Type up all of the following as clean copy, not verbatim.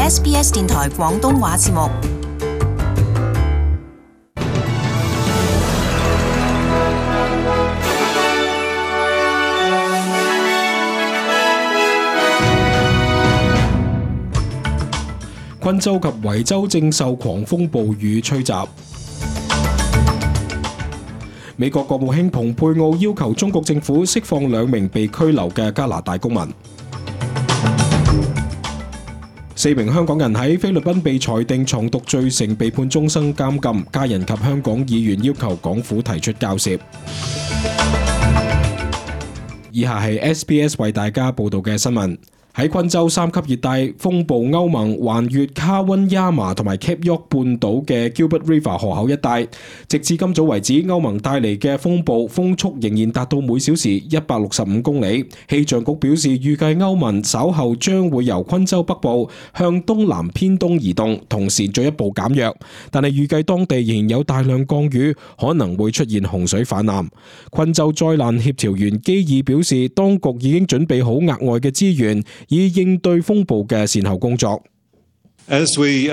SBS 電台廣東話節目。昆州及維州正受狂風暴雨吹襲。美國國務卿蓬佩奧要求中國政府釋放2名被拘留嘅加拿大公民。4名香港人喺菲律賓被裁定藏毒罪成，被判終身監禁，家人及香港議員要求港府提出交涉。以下係 SBS 為大家報道嘅新聞。喺昆州3級熱帶風暴歐盟橫越卡溫亞麻同埋 Cape York 半島嘅 Gilbert River 河口一帶，直至今早為止，歐盟帶嚟嘅風暴風速仍然達到每小時165公里。氣象局表示，預計歐盟稍後將會由昆州北部向東南偏東移動，同時進一步減弱，但係預計當地仍然有大量降雨，可能會出現洪水泛濫。昆州災難協調員基爾表示，當局已經準備好額外嘅資源，以應對風暴嘅善後工作。基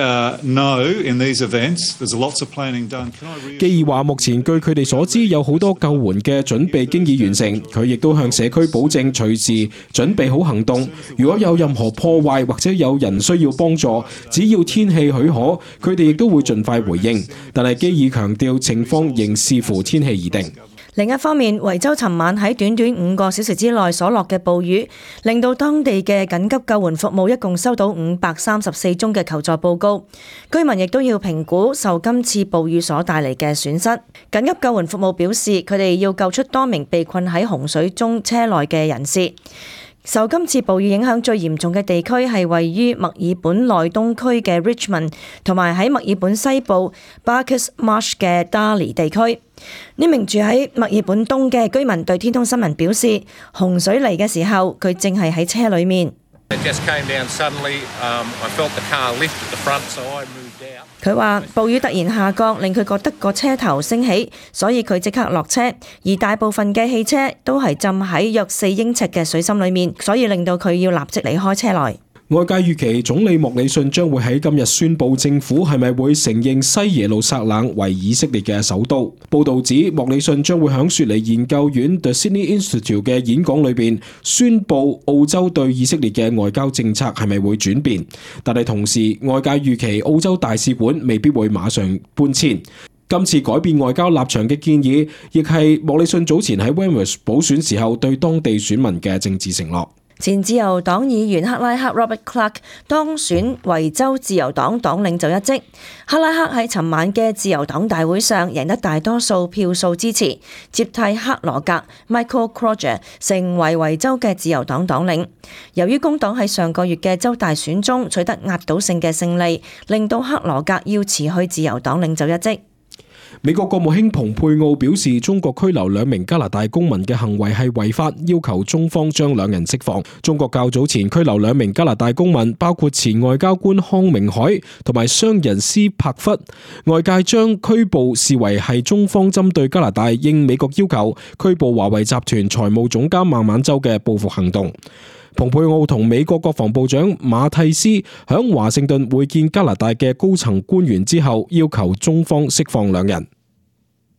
爾話，目前據佢哋所知，有好多救援嘅準備經已完成。佢亦都向社區保證隨時準備好行動。如果有任何破壞或者有人需要幫助，只要天氣許可，佢哋亦都會盡快回應。但係基爾強調，情況仍視乎天氣而定。另一方面，維州尋晚喺短短5個小時之內所落嘅暴雨，令到當地嘅緊急救援服務一共收到534宗嘅求助報告。居民亦都要評估受今次暴雨所帶嚟嘅損失。緊急救援服務表示，佢哋要救出多名被困喺洪水中車內嘅人士。受今次暴雨影響最嚴重嘅地區係位於墨爾本內東區嘅 Richmond， 同埋喺墨爾本西部 Barkers Marsh 嘅 Darley 地區。呢名住喺墨爾本東嘅居民對天空新聞表示，洪水嚟嘅時候，佢正係喺車裏面。佢話暴雨突然下降，令佢覺得個車頭升起，所以佢即刻落車。而大部分嘅汽車都係浸喺約4英尺嘅水深裏面，所以令到佢要立即離開車內。外界預期總理莫里遜將會喺今日宣布政府係咪會承認西耶路撒冷為以色列嘅首都。報道指莫里遜將會喺雪梨研究院 The Sydney Institute 嘅演講裏邊宣布澳洲對以色列嘅外交政策係咪會轉變，但係同時外界預期澳洲大使館未必會馬上搬遷。今次改變外交立場嘅建議，亦係莫里遜早前喺 Wentworth 補選時候對當地選民嘅政治承諾。前自由黨議員克拉克 Robert Clark 當選維州自由黨黨領袖一職。克拉克喺尋晚嘅自由黨大會上贏得大多數票數支持，接替克羅格 Michael Crozier 成為維州嘅自由黨黨領。由於工黨喺上個月嘅州大選中取得壓倒性嘅勝利，令到克羅格要辭去自由黨領袖一職。美國國務卿蓬佩奧表示，中國拘留2名加拿大公民嘅行為係違法，要求中方將2人釋放。中國較早前拘留2名加拿大公民，包括前外交官康明凱同埋商人斯帕弗。外界將拘捕視為係中方針對加拿大應美國要求拘捕華為集團財務總監孟晚舟嘅報復行動。蓬佩奧同美國國防部長馬蒂斯響華盛頓會見加拿大嘅高層官員之後，要求中方釋放2人。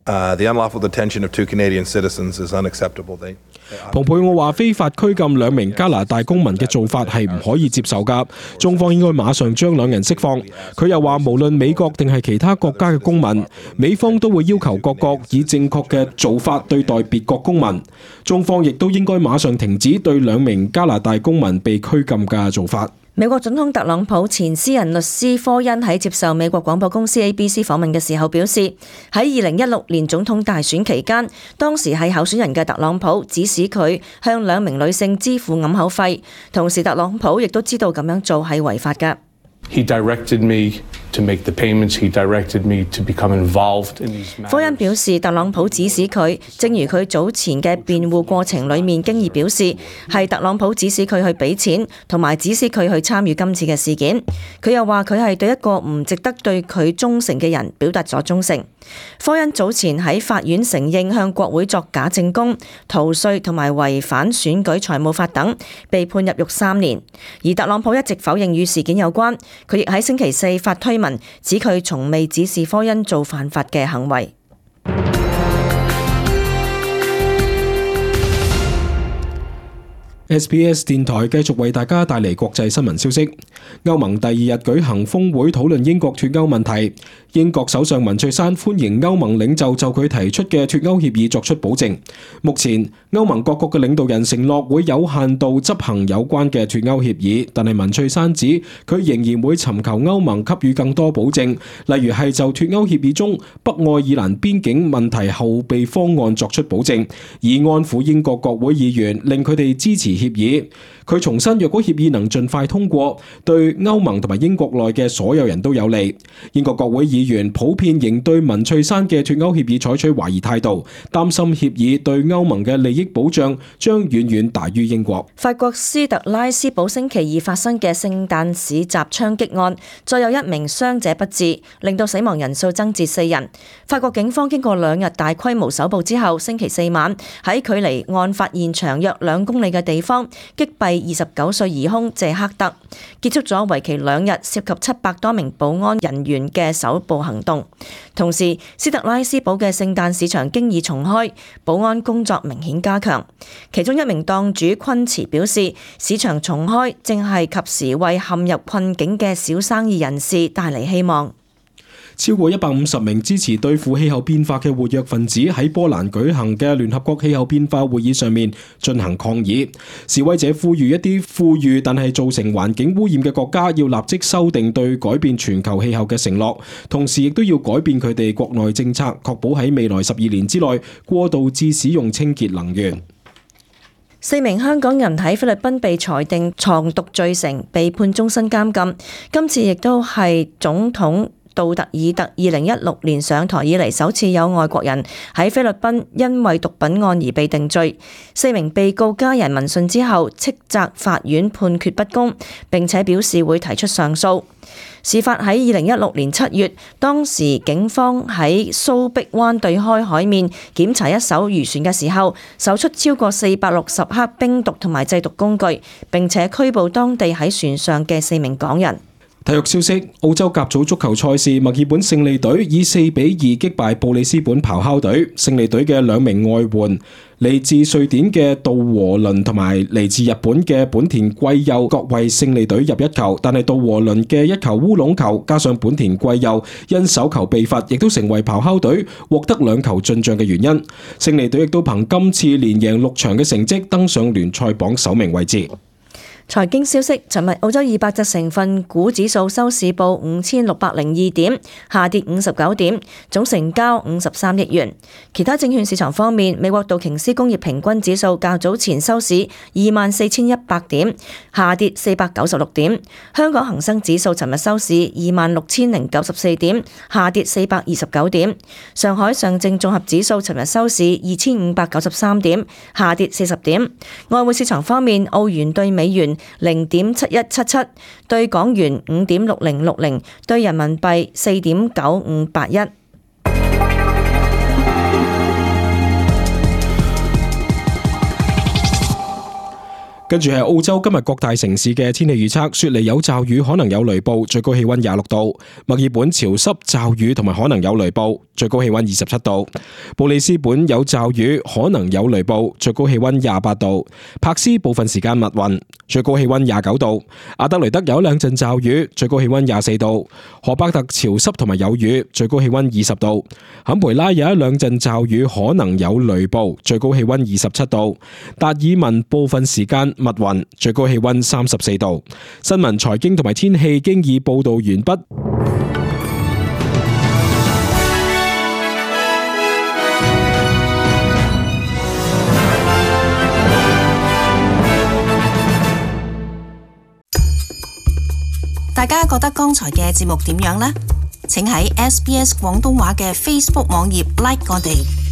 The unlawful detention of 2 Canadian citizens is unacceptable. 蓬佩奧話，非法拘禁2名加拿大公民嘅做法係唔可以接受㗎，中方應該馬上將2人釋放。佢又話，無論美國定係其他國家嘅公民，美方都會要求各國以正確嘅做法對待別國公民。中方亦都應該馬上停止對2名加拿大公民被拘禁嘅做法。美國總統特朗普前私人律師科恩喺接受美國廣播公司 ABC 訪問嘅時候表示，喺2016年總統大選期間，當時係候選人嘅特朗普指使佢向2名女性支付掩口費，同時特朗普亦都知道咁樣做係違法㗎。He directed me to make the payments. He directed me to become involved in these matters. 科恩表示，特朗普指使佢，正如佢早前嘅辯護過程裡面經已表示，係特朗普指使佢去俾錢，同埋指使佢去參與今次嘅事件。佢又話佢係對一個唔值得對佢忠誠嘅人表達咗忠誠。科恩早前喺法院承認向國會作假證供、逃稅同埋違反選舉財務法等，被判入獄3年。而特朗普一直否認與事件有關，佢亦喺星期四發推文指佢從未指示科恩做犯法嘅行為。SBS 電台繼續為大家帶嚟國際新聞消息。歐盟第2日舉行峰會討論英國脫歐問題。英國首相文翠珊歡迎歐盟領袖就佢提出嘅脫歐協議作出保證。目前歐盟各國嘅領導人承諾會有限度執行有關嘅脫歐協議，但係文翠珊指佢仍然會尋求歐盟給予更多保證，例如係就脫歐協議中北愛爾蘭邊境問題後備方案作出保證，以安撫英國國會議員，令佢哋支持協議。佢重申，若果協議能盡快通過，對歐盟同埋英國內嘅所有人都有利。英國國會議員普遍仍對文翠珊嘅脫歐協議採取懷疑態度，擔心協議對歐盟嘅利益保障將遠遠大於英國。法國斯特拉斯堡星期二發生嘅聖誕市集槍擊案，再有1名傷者不治，令到死亡人數增至4人。法國警方經過2日大規模搜捕之後，星期四晚喺距離案發現場約2公里嘅地方擊斃29歲疑兇謝克德，結束咗為期2日涉及700多名保安人員嘅搜捕行動。同時，斯特拉斯堡嘅聖誕市場經已重開，保安工作明顯加強。其中1名檔主昆茨表示，市場重開正係及時為陷入困境嘅小生意人士帶嚟希望。超過150名支持對付氣候變化嘅活躍分子喺波蘭舉行嘅聯合國氣候變化會議上面進行抗議。示威者呼籲一啲富裕但係造成環境污染嘅國家要立即修訂對改變全球氣候嘅承諾，同時亦都要改變佢哋國內政策，確保喺未來12年之內過渡至使用清潔能源。4名香港人喺菲律賓被裁定藏毒罪成，被判終身監禁。今次亦都係總統杜特爾特2016年上台以嚟首次有外國人喺菲律賓因為毒品案而被定罪。4名被告家人聞訊之後斥責法院判決不公，並且表示會提出上訴。事發喺2016年7月，當時警方喺蘇碧灣對開海面檢查一艘漁船嘅時候，搜出超過460克冰毒同埋製毒工具，並且拘捕當地喺船上嘅4名港人。體育消息：澳洲甲組足球賽事，墨爾本勝利隊以4-2擊敗布里斯本咆哮隊。勝利隊嘅2名外援，嚟自瑞典嘅杜和倫同埋嚟自日本嘅本田貴佑各為勝利隊入1球，但係杜和倫嘅1球烏龍球加上本田貴佑因手球被罰，亦都成為咆哮隊獲得2球進賬嘅原因。勝利隊亦都憑今次連贏6場嘅成績登上聯賽榜首名位置。財經消息：尋日澳洲200隻成分股指數收市報5602點，下跌59點，總成交53億元。其他證券市場方面，美國道瓊斯工業平均指數較早前收市24,100點，下跌496點。香港恒生指數尋日收市26,094點，下跌429點。上海上證綜合指數尋日收市2,593點，下跌40點。外匯市場方面，澳元對美元0.7177，對港元5.6060，對人民幣4.9581。跟住係澳洲今日各大城市嘅天氣預測：雪梨有驟雨，可能有雷暴，最高氣溫26度；墨爾本潮濕驟雨同埋可能有雷暴，最高氣溫27度；布里斯本有驟雨，可能有雷暴，最高氣溫28度；柏斯部分時間密雲，最高氣溫29度；阿德雷德有2陣驟雨，最高氣溫24度；荷伯特潮濕同埋有雨，最高氣溫20度；坎培拉有2陣驟雨，可能有雷暴，最高氣溫27度；達爾文部分時間密雲，最高氣溫34度。新聞、財經同埋天氣經已報道完畢。大大家覺得剛才嘅節目點樣呢？請喺SBS 廣東話嘅 Facebook 網頁 like 我哋。